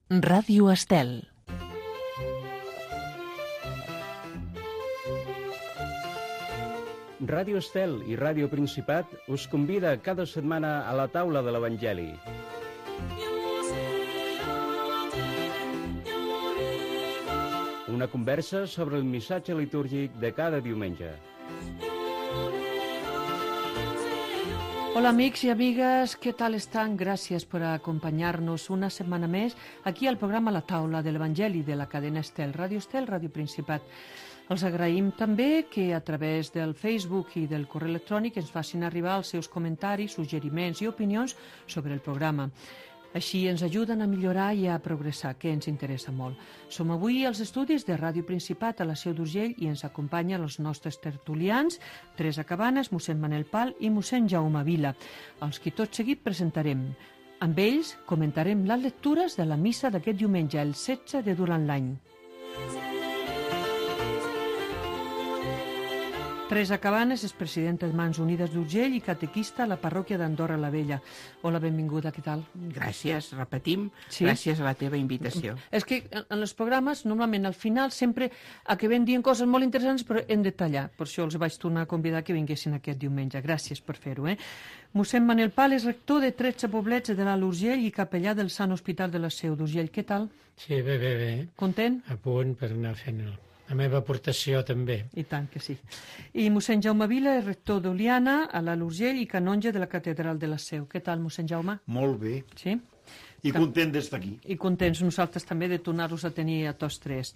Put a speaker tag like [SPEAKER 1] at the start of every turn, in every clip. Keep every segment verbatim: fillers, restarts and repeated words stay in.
[SPEAKER 1] Ràdio Estel.
[SPEAKER 2] Ràdio Estel i Ràdio Principat us convida cada setmana a la taula de l'Evangeli. Una conversa sobre el missatge litúrgic de cada diumenge.
[SPEAKER 3] Hola amics i amigues, què tal estan? Gràcies per acompanyar-nos una setmana més aquí al programa La Taula de l'Evangeli de la cadena Estel, Ràdio Estel, Ràdio Principat. Els agraïm també que a través del Facebook i del correu electrònic ens facin arribar els seus comentaris, suggeriments i opinions sobre el programa. Així ens ajuden a millorar i a progressar, que ens interessa molt. Som avui als estudis de Ràdio Principat a la Seu d'Urgell i ens acompanyen els nostres tertulians, Teresa Cabanes, mossèn Manel Pal i mossèn Jaume Vila, els qui tot seguit presentarem. Amb ells comentarem les lectures de la missa d'aquest diumenge, el setze de durant l'any. Teresa Cabanes és presidenta de Mans Unides d'Urgell i catequista a la parròquia d'Andorra la Vella. Hola, benvinguda, què tal?
[SPEAKER 4] Gràcies, repetim,
[SPEAKER 3] sí?
[SPEAKER 4] Gràcies a la teva invitació.
[SPEAKER 3] És que en els programes, normalment al final, sempre acabem dient coses molt interessants, però en detallar. Per això els vaig tornar a convidar que vinguessin aquest diumenge. Gràcies per fer-ho. Eh? Mossèn Manel Pal és rector de tretze poblets de l'Alt Urgell i capellà del Sant Hospital de la Seu d'Urgell. Què tal?
[SPEAKER 5] Sí, bé, bé, bé.
[SPEAKER 3] Content?
[SPEAKER 5] A punt per anar fent el... la meva aportació també.
[SPEAKER 3] I tant que sí. I mossèn Jaume Vila és rector d'Oliana, a l'Alt Urgell i canonge de la catedral de la Seu. Què tal, mossèn Jaume?
[SPEAKER 6] Molt bé.
[SPEAKER 3] Sí?
[SPEAKER 6] I content d'estar aquí.
[SPEAKER 3] I contents nosaltres també de tornar-los a tenir a tots tres.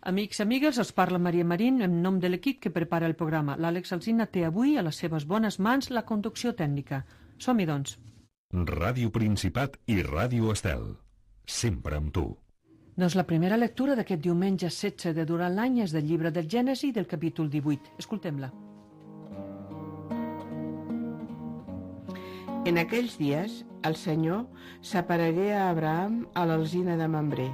[SPEAKER 3] Amics i amigues, els parla Maria Marín en nom de l'equip que prepara el programa. L'Àlex Alsina té avui a les seves bones mans la conducció tècnica. Som-hi, doncs.
[SPEAKER 7] Ràdio Principat i Ràdio Estel. Sempre amb tu.
[SPEAKER 3] Doncs la primera lectura d'aquest diumenge setze de durant l'any és del llibre del Gènesi del capítol divuit. Escoltem-la.
[SPEAKER 4] En aquells dies, el Senyor s'aparegué a Abraham a l'alzina de Mambré.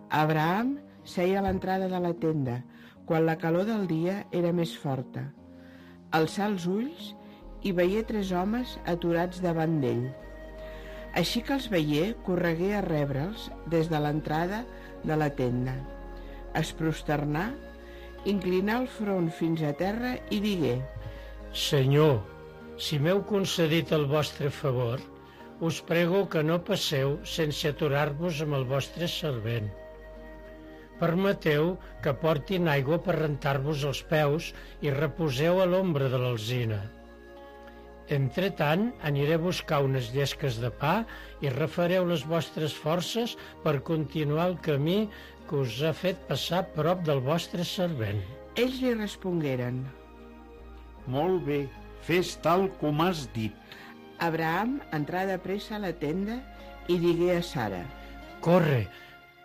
[SPEAKER 4] Abraham seia a l'entrada de la tenda, quan la calor del dia era més forta. Alçà els ulls i veié tres homes aturats davant d'ell. Així que els veié, corregué a rebre'ls des de l'entrada de la tenda. Es prosternà, inclinà el front fins a terra i digué:
[SPEAKER 5] Senyor, si m'heu concedit el vostre favor, us prego que no passeu sense aturar-vos amb el vostre servent. Permeteu que portin aigua per rentar-vos els peus i reposeu a l'ombra de l'alzina. Entretant, aniré a buscar unes llesques de pa i refareu les vostres forces per continuar el camí que us ha fet passar prop del vostre servent.
[SPEAKER 4] Ells li respongueren:
[SPEAKER 6] Molt bé, fes tal com has dit.
[SPEAKER 4] Abraham entrà de pressa a la tenda i digué a Sara:
[SPEAKER 5] Corre,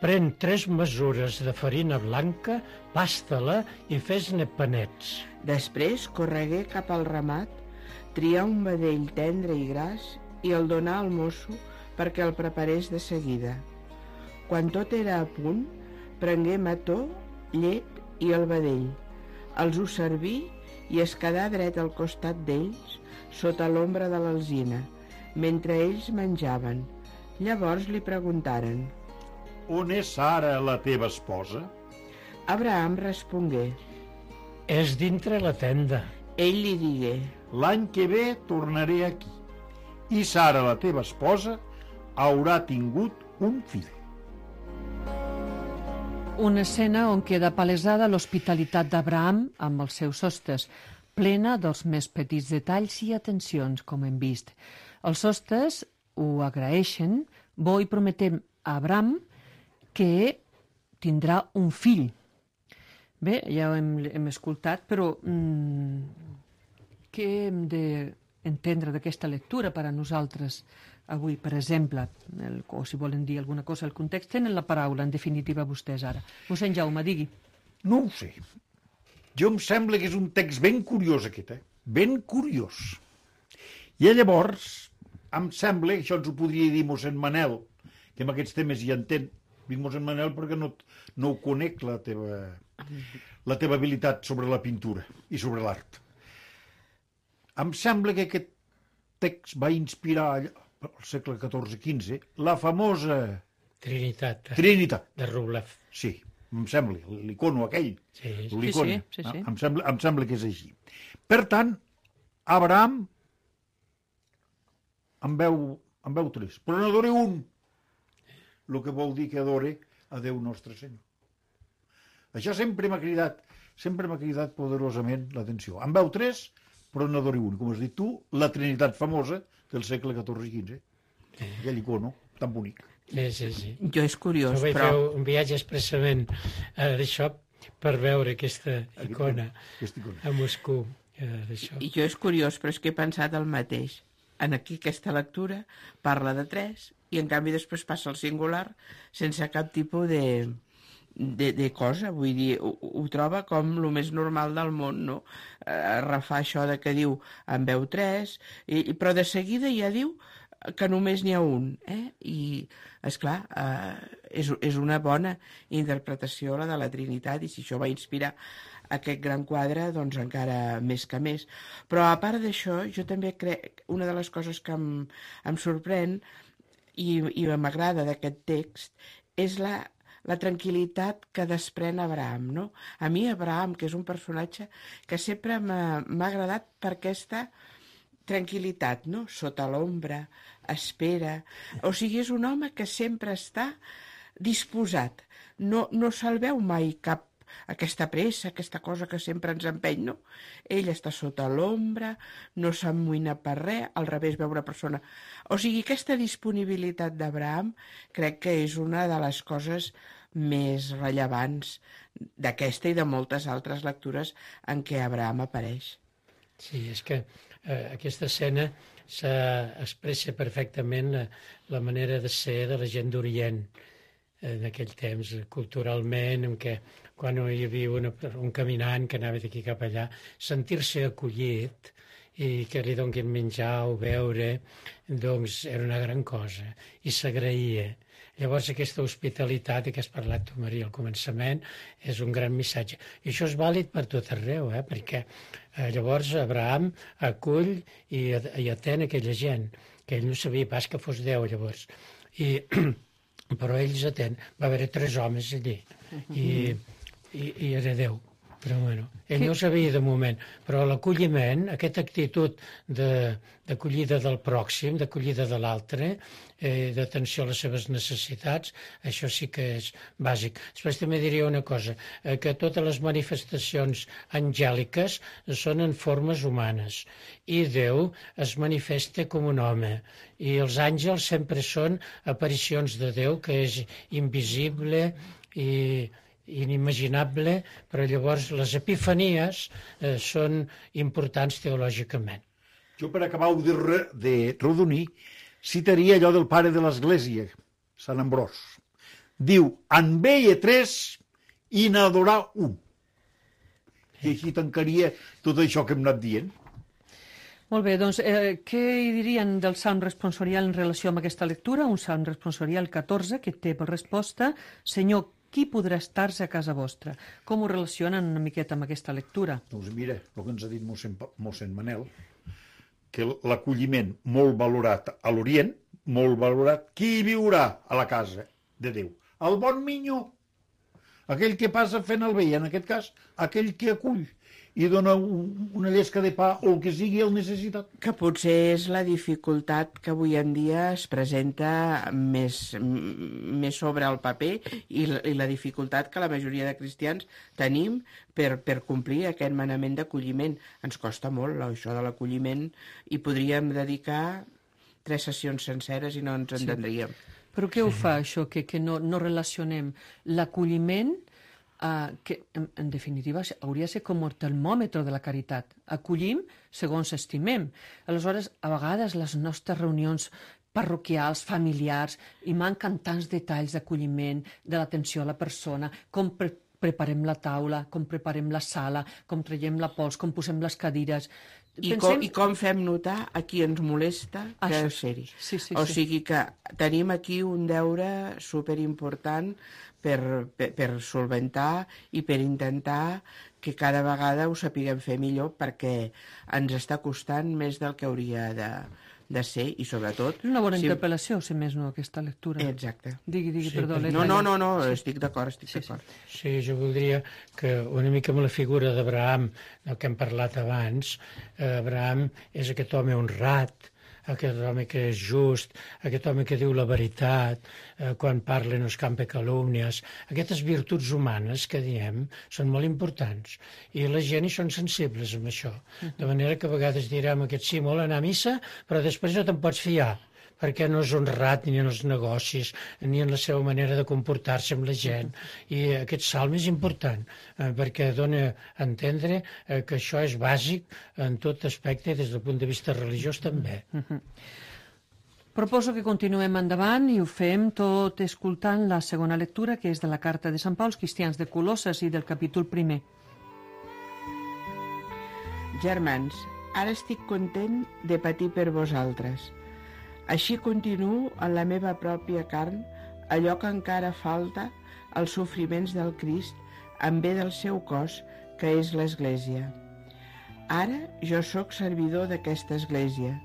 [SPEAKER 5] pren tres mesures de farina blanca, pasta-la i fes-ne panets.
[SPEAKER 4] Després corregué cap al ramat, trià un vedell tendre i gras i el donà al mosso perquè el preparés de seguida. Quan tot era a punt, prengué mató, llet i el vedell. Els ho serví i es quedà dret al costat d'ells, sota l'ombra de l'alzina, mentre ells menjaven. Llavors li preguntaren:
[SPEAKER 6] On és Sara, la teva esposa?
[SPEAKER 4] Abraham respongué:
[SPEAKER 5] És dintre la tenda.
[SPEAKER 4] Ell li digué:
[SPEAKER 6] L'any que ve tornaré aquí, i Sara, la teva esposa, haurà tingut un fill.
[SPEAKER 3] Una escena on queda palesada l'hospitalitat d'Abraham amb els seus hostes, plena dels més petits detalls i atencions, com hem vist. Els hostes ho agraeixen, bo i prometem a Abraham que tindrà un fill. Bé, ja ho hem, hem escoltat, però mmm, què hem d'entendre d'aquesta lectura per a nosaltres avui, per exemple? El, o si volen dir alguna cosa al context, tenen la paraula, en definitiva, vostès ara. Mossèn Jaume, digui.
[SPEAKER 6] No ho sé. Jo em sembla que és un text ben curiós, aquest, eh? Ben curiós. I llavors, em sembla, això ens ho podria dir mossèn Manel, que amb aquests temes hi entén. Dic mossèn Manel perquè no, no ho conec, la teva, la teva habilitat sobre la pintura i sobre l'art. Em sembla que aquest text va inspirar al segle catorze quinze la famosa
[SPEAKER 5] Trinitat.
[SPEAKER 6] Trinitat.
[SPEAKER 5] De Rublev.
[SPEAKER 6] Sí, em sembla, l'icono aquell.
[SPEAKER 5] Sí,
[SPEAKER 6] l'icona.
[SPEAKER 3] sí, sí, sí.
[SPEAKER 6] Em, sembla, em sembla que és així. Per tant, Abraham en veu, en veu tres, però n'adore un, el que vol dir que adore a Déu Nostre Senyor. Això sempre m'ha cridat, sempre m'ha cridat poderosament l'atenció. En veu tres, però n'adore un. Com has dit tu, la Trinitat famosa del segle catorze i quinze. Aquell icono tan bonic.
[SPEAKER 5] Sí, sí, sí.
[SPEAKER 4] Jo és curiós,
[SPEAKER 5] Jo vaig
[SPEAKER 4] però...
[SPEAKER 5] fer un viatge expressament eh, d'això per veure aquesta icona
[SPEAKER 6] Aquesta icona.
[SPEAKER 5] a Moscou. Eh, d'això.
[SPEAKER 4] I jo és curiós, però és que he pensat el mateix. En aquí aquesta lectura parla de tres i en canvi després passa al singular sense cap tipus de, de, de cosa. Vull dir, ho, ho troba com el més normal del món, no? Eh, refà això de que diu en veu tres, i, i, però de seguida ja diu que només n'hi ha un, eh? I, esclar, eh, és, és una bona interpretació la de la Trinitat, i si això va inspirar aquest gran quadre, doncs encara més que més. Però a part d'això, jo també crec, una de les coses que em, em sorprèn i, i m'agrada d'aquest text és la, la tranquil·litat que desprèn Abraham, no? A mi Abraham, que és un personatge que sempre m'ha agradat per aquesta tranquil·litat, no? Sota l'ombra, espera... O sigui, és un home que sempre està disposat. No, no se'l veu mai cap aquesta pressa, aquesta cosa que sempre ens empeny, no? Ell està sota l'ombra, no s'amoïna per res, al revés, veu una persona... O sigui, aquesta disponibilitat d'Abraham crec que és una de les coses més rellevants d'aquesta i de moltes altres lectures en què Abraham apareix.
[SPEAKER 5] Sí, és que eh, aquesta escena s'expressa perfectament eh, la manera de ser de la gent d'Orient en aquell temps, culturalment, en què quan hi havia una, un caminant que anava d'aquí cap allà, sentir-se acollit i que li donguin menjar o beure, doncs era una gran cosa i s'agraïa. Llavors aquesta hospitalitat, i que has parlat tu, Maria, al començament, és un gran missatge. I això és vàlid per tot arreu, eh? Perquè eh, llavors Abraham acull i, i atén aquella gent, que ell no sabia pas que fos Déu, llavors. I, però ells atén. Va haver tres homes allí, i, i, i era Déu. Però bueno, ell no ho sabia de moment, però l'acolliment, aquesta actitud d'acollida de, del pròxim, d'acollida de l'altre, eh, d'atenció a les seves necessitats, això sí que és bàsic. Després també diria una cosa, eh, que totes les manifestacions angèliques són en formes humanes i Déu es manifesta com un home i els àngels sempre són aparicions de Déu, que és invisible i inimaginable, però llavors les epifanies eh, són importants teològicament.
[SPEAKER 6] Jo, per acabar de, re, de redonir, citaria allò del pare de l'Església, Sant Ambròs. Diu, en veia tres i n'adorar un. I així tancaria tot això que hem anat dient.
[SPEAKER 3] Molt bé, doncs, eh, què hi dirien del Salm responsorial en relació amb aquesta lectura? Un Salm responsorial catorze que té per resposta, Senyor, qui podrà estar-se a casa vostra? Com ho relacionen una miqueta amb aquesta lectura?
[SPEAKER 6] Doncs mira, el que ens ha dit mossèn, mossèn Manel, que l'acolliment molt valorat a l'Orient, molt valorat, qui viurà a la casa de Déu? El bon minyó, aquell que passa fent el bé, en aquest cas, aquell que acull i dona un, una llesca de pa o el que sigui el necessitat.
[SPEAKER 4] Que potser és la dificultat que avui en dia es presenta més, més sobre el paper i la, i la dificultat que la majoria de cristians tenim per, per complir aquest manament d'acolliment. Ens costa molt això de l'acolliment i podríem dedicar tres sessions senceres i no ens entendríem.
[SPEAKER 3] Sí. Però què ho fa això, que, que no, no relacionem l'acolliment, Uh, que en, en definitiva hauria de ser com el termòmetre de la caritat. Acollim segons estimem. Aleshores, a vegades les nostres reunions parroquials, familiars, i manquen tants detalls d'acolliment, de l'atenció a la persona, com pre preparem la taula, com preparem la sala, com traiem la pols, com posem les cadires.
[SPEAKER 4] I,
[SPEAKER 3] Pensem...
[SPEAKER 4] com, I com fem notar a qui ens molesta que ser-hi.
[SPEAKER 3] Sí, sí,
[SPEAKER 4] o
[SPEAKER 3] sí.
[SPEAKER 4] sigui que tenim aquí un deure superimportant per, per, per solventar i per intentar que cada vegada ho sapiguem fer millor, perquè ens està costant més del que hauria de, de ser i sobretot...
[SPEAKER 3] És una bona
[SPEAKER 4] si-
[SPEAKER 3] interpel·lació, si més no, aquesta lectura.
[SPEAKER 4] Exacte.
[SPEAKER 3] Digui, digui,
[SPEAKER 5] Sí,
[SPEAKER 3] perdó.
[SPEAKER 5] perquè-
[SPEAKER 3] l'he
[SPEAKER 4] No, no,
[SPEAKER 3] tallat.
[SPEAKER 4] no, no, estic d'acord, estic
[SPEAKER 3] Sí, sí.
[SPEAKER 4] d'acord.
[SPEAKER 5] Sí, jo voldria que una mica amb la figura d'Abraham, del que hem parlat abans, eh, Abraham és aquest home honrat, aquest home que és just, aquest home que diu la veritat, eh, quan parla no escampa calúmnies. Aquestes virtuts humanes que diem són molt importants i la gent hi són sensibles amb això. De manera que a vegades direm aquest sí, molt anar a missa, però després no te'n pots fiar, perquè no és honrat ni en els negocis, ni en la seva manera de comportar-se amb la gent. I aquest salm és important, eh, perquè dona a entendre eh, que això és bàsic en tot aspecte, des del punt de vista religiós també.
[SPEAKER 3] Proposo que continuem endavant i ho fem tot escoltant la segona lectura, que és de la carta de Sant Pau als cristians de Colosses i del capítol primer.
[SPEAKER 4] Germans, ara estic content de patir per vosaltres. Així continuo en la meva pròpia carn allò que encara falta als sofriments del Crist en bé del seu cos, que és l'Església. Ara jo sóc servidor d'aquesta Església.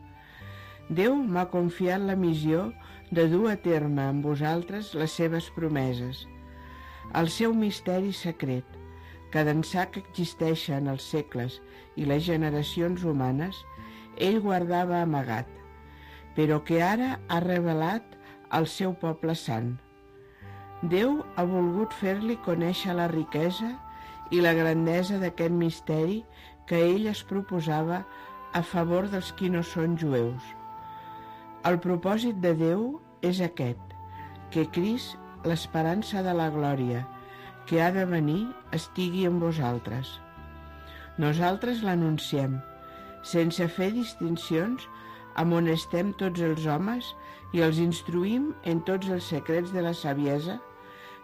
[SPEAKER 4] Déu m'ha confiat la missió de dur a terme amb vosaltres les seves promeses, el seu misteri secret, que d'ençà que existeixen els segles i les generacions humanes, ell guardava amagat, però que ara ha revelat al seu poble sant. Déu ha volgut fer-li conèixer la riquesa i la grandesa d'aquest misteri que ell es proposava a favor dels qui no són jueus. El propòsit de Déu és aquest, que Crist, l'esperança de la glòria, que ha de venir, estigui en vosaltres. Nosaltres l'anunciem, sense fer distincions, amonestem tots els homes i els instruïm en tots els secrets de la saviesa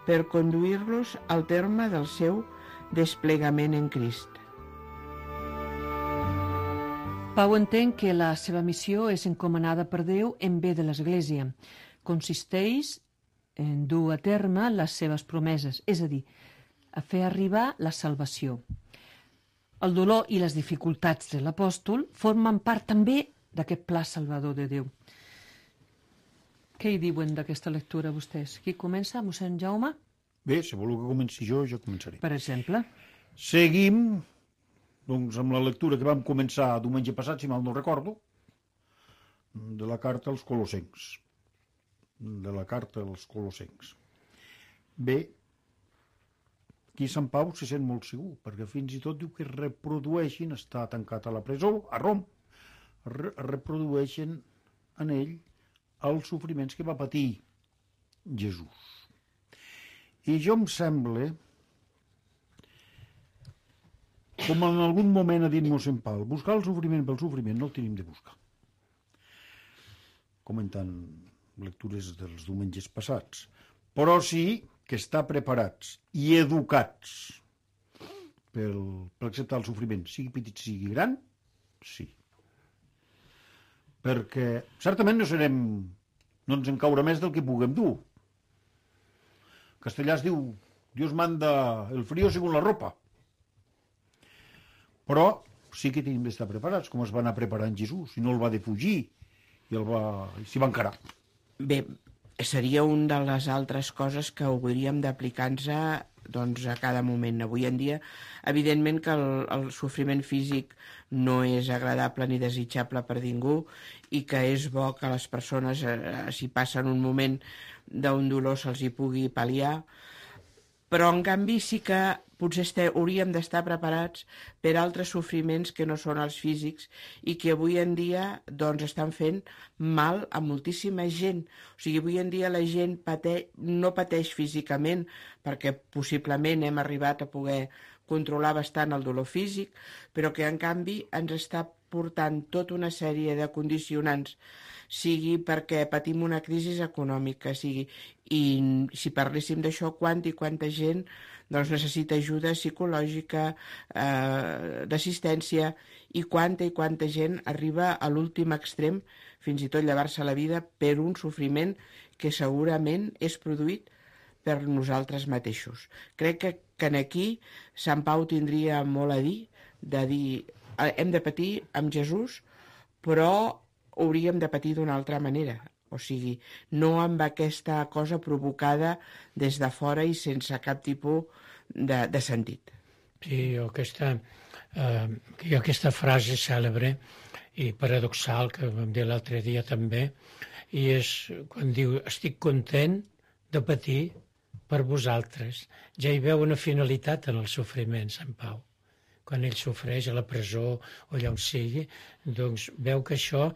[SPEAKER 4] per conduir-los al terme del seu desplegament en Crist.
[SPEAKER 3] Pau entén que la seva missió és encomanada per Déu en bé de l'Església. Consisteix en dur a terme les seves promeses, és a dir, a fer arribar la salvació. El dolor i les dificultats de l'apòstol formen part també d'aquest pla salvador de Déu. Què hi diuen d'aquesta lectura vostès? Qui comença, mossèn Jaume?
[SPEAKER 6] Bé, si voleu que comenci jo, jo començaré.
[SPEAKER 3] Per exemple.
[SPEAKER 6] Seguim, doncs, amb la lectura que vam començar diumenge passat, si mal no recordo, de la carta als Colossencs. De la carta als Colossencs. Bé, aquí Sant Pau se sent molt segur, perquè fins i tot diu que reprodueixin, està tancat a la presó, a Rom, re reprodueixen en ell els sofriments que va patir Jesús. I jo em sembla, com en algun moment ha dit mossèn Pau, buscar el sofriment pel sofriment no el tenim de buscar. Comentant lectures dels diumenges passats. Però sí que estar preparats i educats per, per acceptar el sofriment, sigui petit, sigui gran, sí. Perquè certament no serem, no ens en caurà més del que puguem dur. Castellà es diu, Dios manda el frío según la ropa. Però sí que tenim d'estar preparats, com es va anar preparant Jesús, i no el va defugir, i el va, s'hi va encarar.
[SPEAKER 4] Bé, seria una de les altres coses que hauríem d'aplicar-nos a, doncs, a cada moment. Avui en dia, evidentment que el, el sofriment físic no és agradable ni desitjable per ningú i que és bo que les persones, eh, si passen un moment d'un dolor, se'ls hi pugui pal·liar, però en canvi sí que potser este, hauríem d'estar preparats per altres sofriments que no són els físics i que avui en dia doncs, estan fent mal a moltíssima gent. O sigui, avui en dia la gent pateix, no pateix físicament perquè possiblement hem arribat a poder controlar bastant el dolor físic, però que en canvi ens està portant tota una sèrie de condicionants, sigui perquè patim una crisi econòmica, sigui, i si parléssim d'això, quanta i quanta gent doncs, necessita ajuda psicològica, eh, d'assistència, i quanta i quanta gent arriba a l'últim extrem, fins i tot llevar-se la vida per un sofriment que segurament és produït per nosaltres mateixos. Crec que, que aquí Sant Pau tindria molt a dir, de dir hem de patir amb Jesús, però hauríem de patir d'una altra manera. O sigui, no amb aquesta cosa provocada des de fora i sense cap tipus de, de sentit.
[SPEAKER 5] Sí, jo aquesta, eh, jo aquesta frase cèlebre i paradoxal que vam dir l'altre dia també, i és quan diu estic content de patir per vosaltres. Ja hi veu una finalitat en el sofriment, Sant Pau. Quan ell sofreix a la presó o allà on sigui, doncs veu que això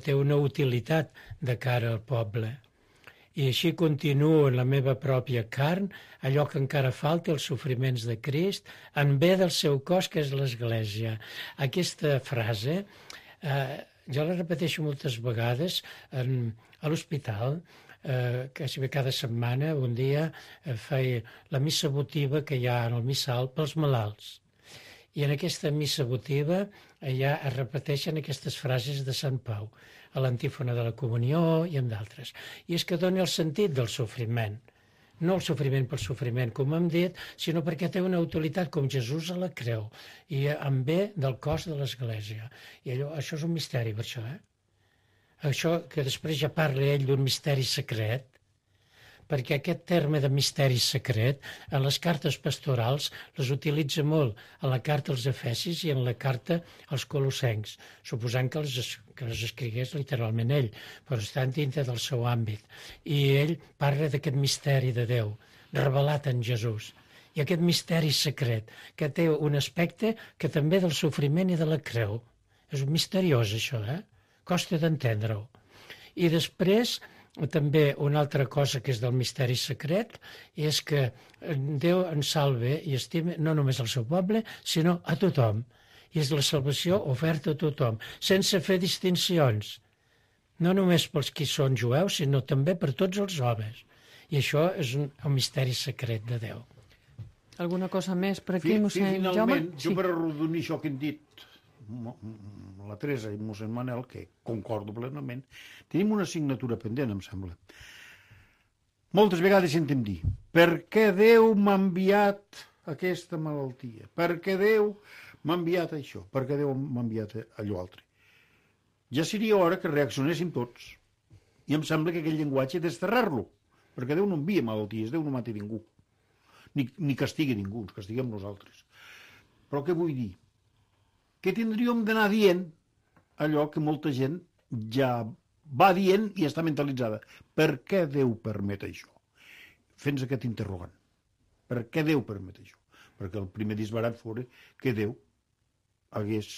[SPEAKER 5] té una utilitat de cara al poble. I així continuo en la meva pròpia carn, allò que encara falta, els sofriments de Crist, en bé del seu cos, que és l'Església. Aquesta frase, eh, jo la repeteixo moltes vegades en, a l'hospital, eh, quasi bé cada setmana, un dia eh, feia la missa votiva que hi ha en el missal pels malalts. I en aquesta missa votiva ja es repeteixen aquestes frases de Sant Pau, a l'antífona de la comunió i en d'altres. I és que dona el sentit del sofriment. No el sofriment pel sofriment, com hem dit, sinó perquè té una utilitat com Jesús a la creu i en bé del cos de l'Església. I allò, això és un misteri, per això, eh? Això que després ja parla ell d'un misteri secret, perquè aquest terme de misteri secret en les cartes pastorals les utilitza molt a la carta als Efesis i en la carta als Colossencs, suposant que les, que les escrigués literalment ell, però estan dintre del seu àmbit. I ell parla d'aquest misteri de Déu, revelat en Jesús. I aquest misteri secret, que té un aspecte que també del sofriment i de la creu. És misteriós, això, eh? Costa d'entendre-ho. I després, també una altra cosa que és del misteri secret és que Déu ens salve i estima no només al seu poble, sinó a tothom. I és la salvació oferta a tothom, sense fer distincions. No només pels qui són jueus, sinó també per tots els homes. I això és un, un misteri secret de Déu.
[SPEAKER 3] Alguna cosa més per aquí,
[SPEAKER 6] Fi,
[SPEAKER 3] mossèn Jaume?
[SPEAKER 6] Finalment,
[SPEAKER 3] Sí.
[SPEAKER 6] jo per arrodonir això que hem dit, la Teresa i mossèn Manel, que concordo plenament, tenim una assignatura pendent, em sembla. Moltes vegades sentem dir, per què Déu m'ha enviat aquesta malaltia? Per què Déu m'ha enviat això? Per què Déu m'ha enviat allò altre? Ja seria hora que reaccionéssim tots. I em sembla que aquell llenguatge he desterrar-lo, perquè Déu no envia malalties, Déu no mata ningú, ni, ni castiga ningú, ens castiguem nosaltres. Però què vull dir? Que tindríem d'anar dient allò que molta gent ja va dient i està mentalitzada. Per què Déu permet això? Fent aquest interrogant. Per què Déu permet això? Perquè el primer disbarat fora que Déu hagués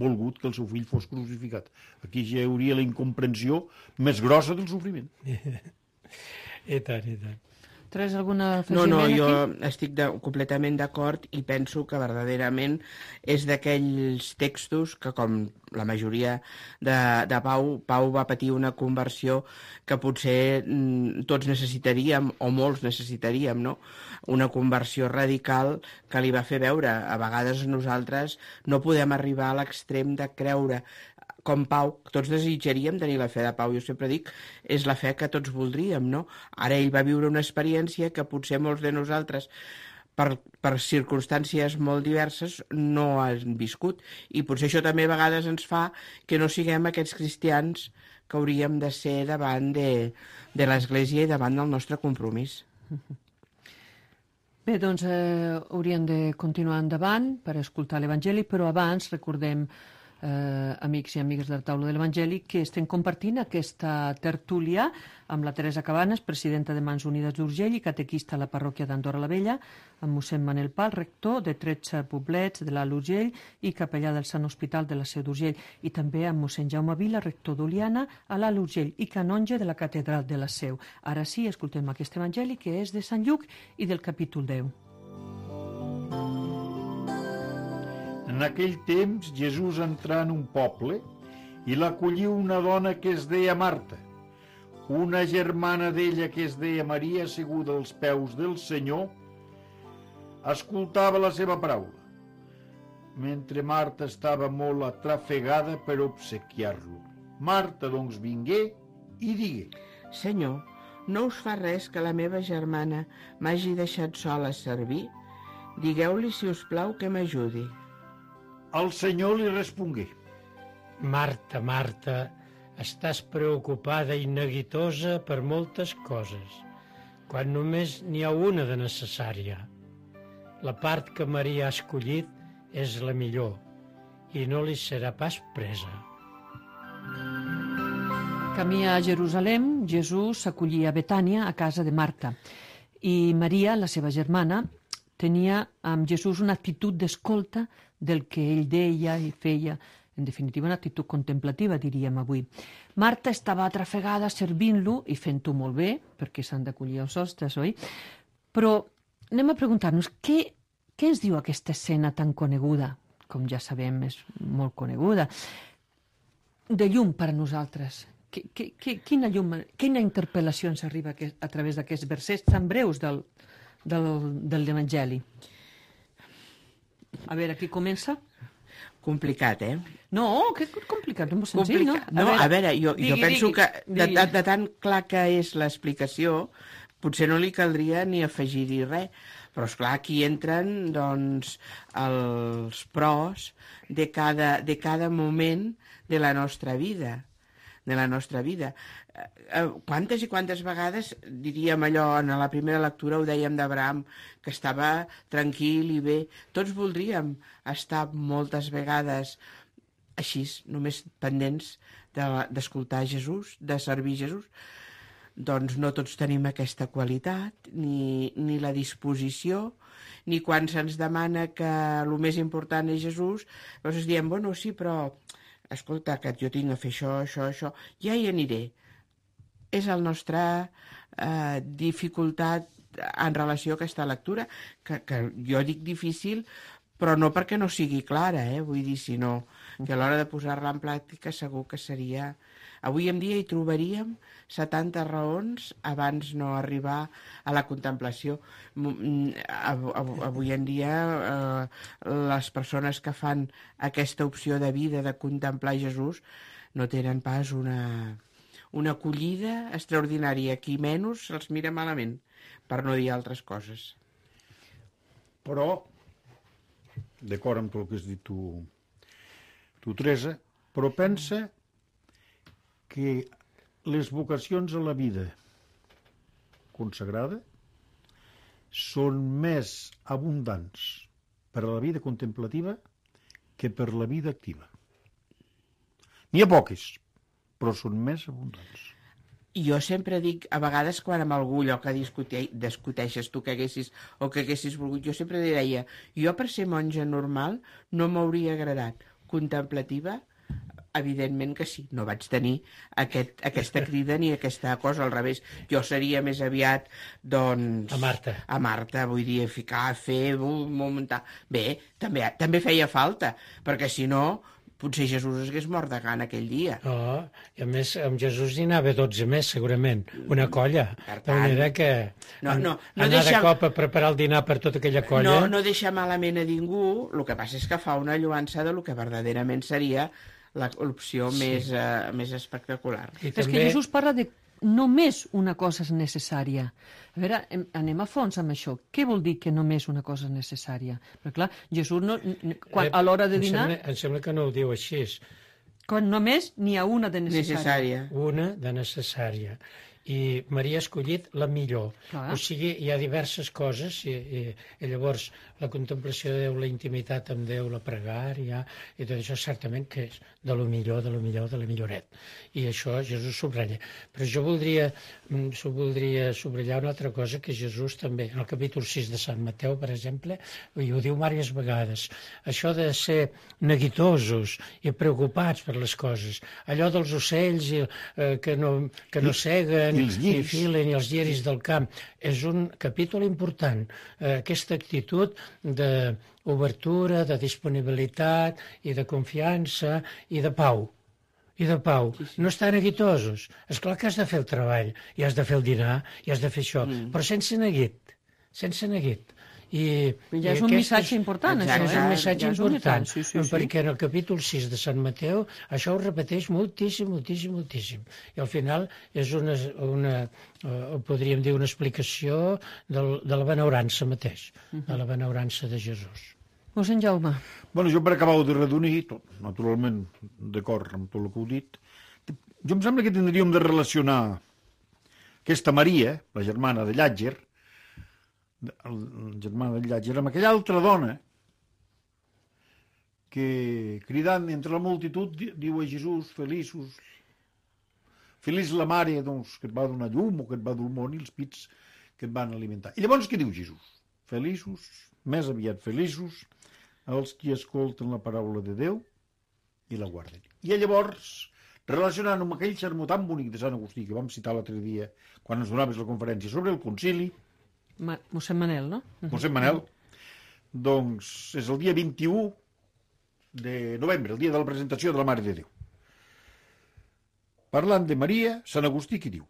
[SPEAKER 6] volgut que el seu fill fos crucificat. Aquí ja hi hauria la incomprensió més grossa del sofriment.
[SPEAKER 5] I tant, i tant.
[SPEAKER 3] Tres alguna
[SPEAKER 4] No,
[SPEAKER 3] afegiment
[SPEAKER 4] no,
[SPEAKER 3] aquí?
[SPEAKER 4] jo estic de, completament d'acord i penso que verdaderament és d'aquells textos que, com la majoria de, de Pau, Pau va patir una conversió que potser mm, tots necessitaríem, o molts necessitaríem, no? Una conversió radical que li va fer veure. A vegades nosaltres no podem arribar a l'extrem de creure com Pau, tots desitjaríem tenir la fe de Pau, jo sempre dic, és la fe que tots voldríem, no? Ara ell va viure una experiència que potser molts de nosaltres, per, per circumstàncies molt diverses, no han viscut, i potser això també a vegades ens fa que no siguem aquests cristians que hauríem de ser davant de, de l'Església i davant del nostre compromís.
[SPEAKER 3] Bé, doncs eh, hauríem de continuar endavant per escoltar l'Evangeli, però abans recordem Eh, amics i amigues de la taula de l'Evangeli, que estem compartint aquesta tertúlia amb la Teresa Cabanes, presidenta de Mans Unides d'Urgell i catequista a la parròquia d'Andorra la Vella, amb mossèn Manel Pal, rector de tretze poblets de l'Alt Urgell i capellà del Sant Hospital de la Seu d'Urgell, i també amb mossèn Jaume Vila, rector d'Oliana a l'Alt Urgell i canonge de la catedral de la Seu. Ara sí, escoltem aquest Evangeli, que és de Sant Lluc i del capítol deu.
[SPEAKER 6] En aquell temps, Jesús entrà en un poble i l'acollí una dona que es deia Marta. Una germana d'ella que es deia Maria, asseguda als peus del Senyor, escoltava la seva paraula, mentre Marta estava molt atrafegada per obsequiar-lo. Marta, doncs, vingué i digué:
[SPEAKER 4] Senyor, no us fa res que la meva germana m'hagi deixat sola a servir? Digueu-li, si us plau, que m'ajudi.
[SPEAKER 6] El Senyor li respongué:
[SPEAKER 5] Marta, Marta, estàs preocupada i neguitosa per moltes coses, quan només n'hi ha una de necessària. La part que Maria ha escollit és la millor i no li serà pas presa.
[SPEAKER 3] Camí a Jerusalem, Jesús s'acollia a Betània, a casa de Marta. I Maria, la seva germana, tenia amb Jesús una actitud d'escolta del que ell deia i feia. En definitiva, una actitud contemplativa, diríem avui. Marta estava atrafegada servint-lo i fent-ho molt bé, perquè s'han d'acollir els hostes, oi? Però anem a preguntar-nos, què, què ens diu aquesta escena tan coneguda? Com ja sabem, és molt coneguda. De llum per a nosaltres. Que, que, que, quina llum, quina interpel·lació ens arriba a, a través d'aquests versets tan breus del, del, del l'Evangeli? A veure, qui comença?
[SPEAKER 4] Complicat, eh?
[SPEAKER 3] No, que complicat, no és senzill, no?
[SPEAKER 4] A no, veure, a veure jo, digui, jo penso digui, que de, de, de tan clar que és l'explicació, potser no li caldria ni afegir-hi res, però esclar, aquí entren doncs, els pros de cada, de cada moment de la nostra vida. de la nostra vida. Quantes i quantes vegades, diríem allò, en la primera lectura ho dèiem d'Abraham, que estava tranquil i bé. Tots voldríem estar moltes vegades així, només pendents d'escoltar Jesús, de servir Jesús. Doncs no tots tenim aquesta qualitat, ni, ni la disposició, ni quan se'ns demana que el més important és Jesús, llavors diem, bueno, sí, però escolta, que jo tinc a fer això, això, això, ja hi aniré. És la nostra eh, dificultat en relació a aquesta lectura, que, que jo dic difícil, però no perquè no sigui clara, eh? Vull dir, sinó que a l'hora de posar-la en pràctica segur que seria... Avui en dia hi trobaríem setanta raons abans no arribar a la contemplació. Avui en dia eh, les persones que fan aquesta opció de vida de contemplar Jesús no tenen pas una, una acollida extraordinària. Qui menys els mira malament, per no dir altres coses.
[SPEAKER 6] Però, d'acord amb tot el que has dit tu, tu Teresa, però pensa que les vocacions a la vida consagrada són més abundants per a la vida contemplativa que per la vida activa. N'hi ha poques, però són més abundants.
[SPEAKER 4] Jo sempre dic, a vegades quan amb algú allò que discute, discuteixes tu que haguessis o que haguessis volgut, jo sempre li deia, jo per ser monja normal no m'hauria agradat. Contemplativa, evidentment que sí, no vaig tenir aquest, aquesta crida ni aquesta cosa, al revés. Jo seria més aviat, doncs...
[SPEAKER 5] A Marta.
[SPEAKER 4] A Marta, vull dir, ficar, fer, muntar... Bé, també, també feia falta, perquè si no, potser Jesús es hagués mort de gana aquell dia.
[SPEAKER 5] Oh, i a més, amb Jesús hi anava dotze més, segurament, una colla. Per tant, de manera que
[SPEAKER 4] no, no, no
[SPEAKER 5] anar
[SPEAKER 4] deixa...
[SPEAKER 5] de cop a preparar el dinar per tota aquella colla...
[SPEAKER 4] No, no deixa malament a ningú, el que passa és que fa una lluança de lo que verdaderament seria l'opció sí. més, uh, més espectacular.
[SPEAKER 3] I és també... que Jesús parla de només una cosa és necessària. A veure, anem a fons amb això. Què vol dir que només una cosa és necessària? Perquè, clar, Jesús, no, quan, a l'hora de dinar...
[SPEAKER 5] Em sembla, em sembla que no ho diu així.
[SPEAKER 3] Quan només n'hi ha una de necessària.
[SPEAKER 4] necessària.
[SPEAKER 5] Una de necessària. I Maria ha escollit la millor. Clar. O sigui, hi ha diverses coses, i, i, i llavors la contemplació de Déu, la intimitat amb Déu, la pregària, i tot això certament que és de lo millor, de lo millor, de la milloret. I això Jesús subratlla. Però jo voldria, voldria subratllar una altra cosa que Jesús també, en el capítol sis de Sant Mateu, per exemple, i ho diu diverses vegades, això de ser neguitosos i preocupats per les coses, allò dels ocells i, eh, que no, que no seguen,
[SPEAKER 6] I, i
[SPEAKER 5] filen i els lliris del camp. És un capítol important. Eh, aquesta actitud d'obertura, de disponibilitat i de confiança i de pau. I de pau. No estar neguitosos. Esclar que has de fer el treball, i has de fer el dinar, i has de fer això, mm. però sense neguit. Sense neguit. I,
[SPEAKER 3] ja és un missatge important,
[SPEAKER 5] això,
[SPEAKER 3] és
[SPEAKER 5] un missatge
[SPEAKER 3] ja
[SPEAKER 5] important,
[SPEAKER 3] sí, sí, sí.
[SPEAKER 5] perquè en el capítol sis de Sant Mateu això ho repeteix moltíssim, moltíssim, moltíssim. I al final és una, una uh, podríem dir, una explicació del, de la benaurança mateix, uh-huh. de la benaurança de Jesús.
[SPEAKER 3] Mossèn Jaume.
[SPEAKER 6] Bueno, jo per acabar de redonir, tot, naturalment d'acord amb tot el que heu dit, jo em sembla que tindríem de relacionar aquesta Maria, la germana de Llàtzer, la germana de Llàtzer, amb aquella altra dona que, cridant entre la multitud, diu a Jesús, feliços, feliç la mare, doncs, que et va donar llum o que et va dur el món i els pits que et van alimentar. I llavors què diu Jesús? Feliços, més aviat feliços, els qui escolten la paraula de Déu i la guarden. I llavors, relacionant amb aquell sermó tan bonic de Sant Agustí que vam citar l'altre dia, quan ens donaves la conferència sobre el concili,
[SPEAKER 3] Ma mossèn Manel, no?
[SPEAKER 6] mossèn Manel, doncs és el dia vint-i-u de novembre, el dia de la presentació de la Mare de Déu. Parlant de Maria, Sant Agustí qui diu?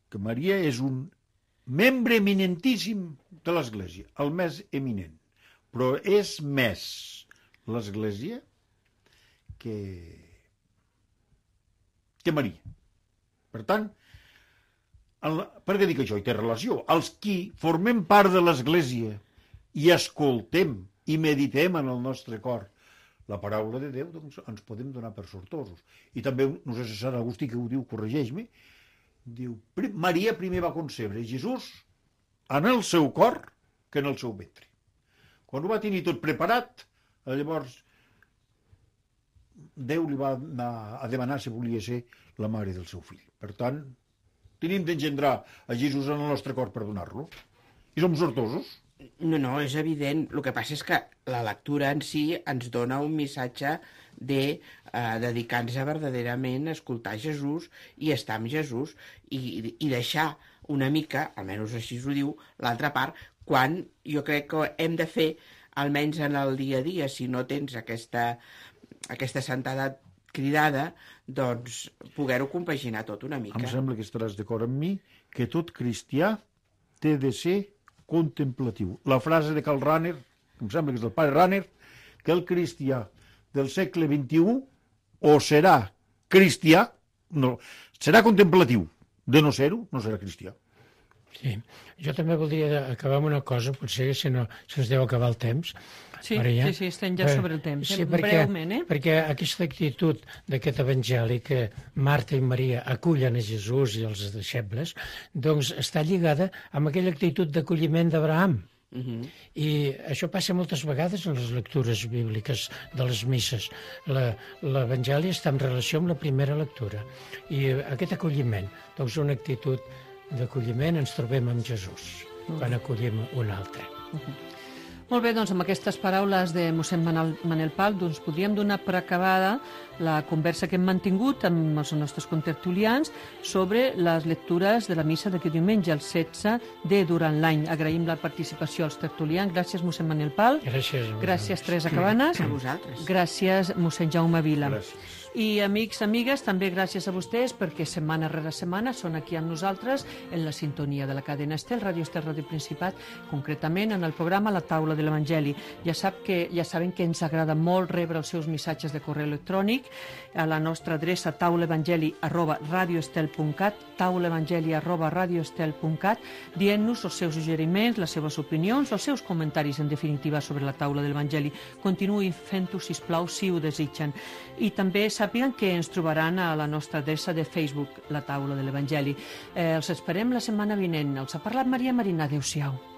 [SPEAKER 6] Que Maria és un membre eminentíssim de l'Església, el més eminent. Però és més l'Església que, que Maria. Per tant, el, per què dic això? I té relació. Els qui formem part de l'Església i escoltem i meditem en el nostre cor la paraula de Déu, doncs ens podem donar per sortosos. I també, no sé si Sant Agustí que ho diu, corregeix-me, diu, Maria primer va concebre Jesús en el seu cor que en el seu ventre. Quan ho va tenir tot preparat, llavors Déu li va anar a demanar si volia ser la mare del seu fill. Per tant, tenim d'engendrar a Jesús en el nostre cor per donar-lo. I som sortosos.
[SPEAKER 4] No, no, és evident. El que passa és que la lectura en si ens dona un missatge de eh, dedicar-nos verdaderament a escoltar Jesús i estar amb Jesús i, i deixar una mica, almenys així ho diu, l'altra part, quan jo crec que hem de fer, almenys en el dia a dia, si no tens aquesta, aquesta santedat cridada, doncs poder-ho compaginar tot una mica.
[SPEAKER 6] Em sembla que estaràs d'acord amb mi que tot cristià té de ser contemplatiu. La frase de Karl Rahner, em sembla que és del pare Rahner, que el cristià del segle vint-i-u o serà cristià, no, serà contemplatiu. De no ser-ho, no serà cristià.
[SPEAKER 5] Sí, jo també voldria acabar amb una cosa, potser si no se'ns deu acabar el temps.
[SPEAKER 3] Sí,
[SPEAKER 5] Maria.
[SPEAKER 3] sí, sí, estem ja sobre el temps.
[SPEAKER 5] Sí,
[SPEAKER 3] eh?
[SPEAKER 5] perquè,
[SPEAKER 3] Breument, eh?
[SPEAKER 5] perquè aquesta actitud d'aquest evangeli que Marta i Maria acullen a Jesús i els deixebles, doncs està lligada amb aquella actitud d'acolliment d'Abraham. Uh -huh. I això passa moltes vegades en les lectures bíbliques de les misses. L'Evangeli està en relació amb la primera lectura. I aquest acolliment, doncs una actitud d'acolliment ens trobem amb Jesús, uh -huh. quan acollim un altre.
[SPEAKER 3] Uh -huh. Molt bé, doncs amb aquestes paraules de mossèn Manel, Manel Pal doncs podríem donar per acabada la conversa que hem mantingut amb els nostres contertulians sobre les lectures de la missa d'aquest diumenge, el setze de durant l'any. Agraïm la participació als tertulians. Gràcies, mossèn Manel Pal.
[SPEAKER 5] Gràcies.
[SPEAKER 3] Gràcies, Teresa Cabanes.
[SPEAKER 4] A vosaltres.
[SPEAKER 3] Gràcies, mossèn Jaume Vila.
[SPEAKER 6] Gràcies.
[SPEAKER 3] I amics, amigues, també gràcies a vostès perquè setmana rere setmana són aquí amb nosaltres en la sintonia de la cadena Estel, Ràdio Estel, Ràdio Principat, concretament en el programa La Taula de l'Evangeli. Ja sap que ja saben que ens agrada molt rebre els seus missatges de correu electrònic a la nostra adreça taulaevangeli arroba radioestel punt cat, taulaevangeli arroba radioestel punt cat, dient-nos els seus suggeriments, les seves opinions, els seus comentaris, en definitiva, sobre la Taula de l'Evangeli. Continuï fent-ho, sisplau, si ho desitgen. I també sàpiguen que ens trobaran a la nostra adreça de Facebook, La Taula de l'Evangeli. Eh, els esperem la setmana vinent. Els ha parlat Maria Marina. Adéu-siau.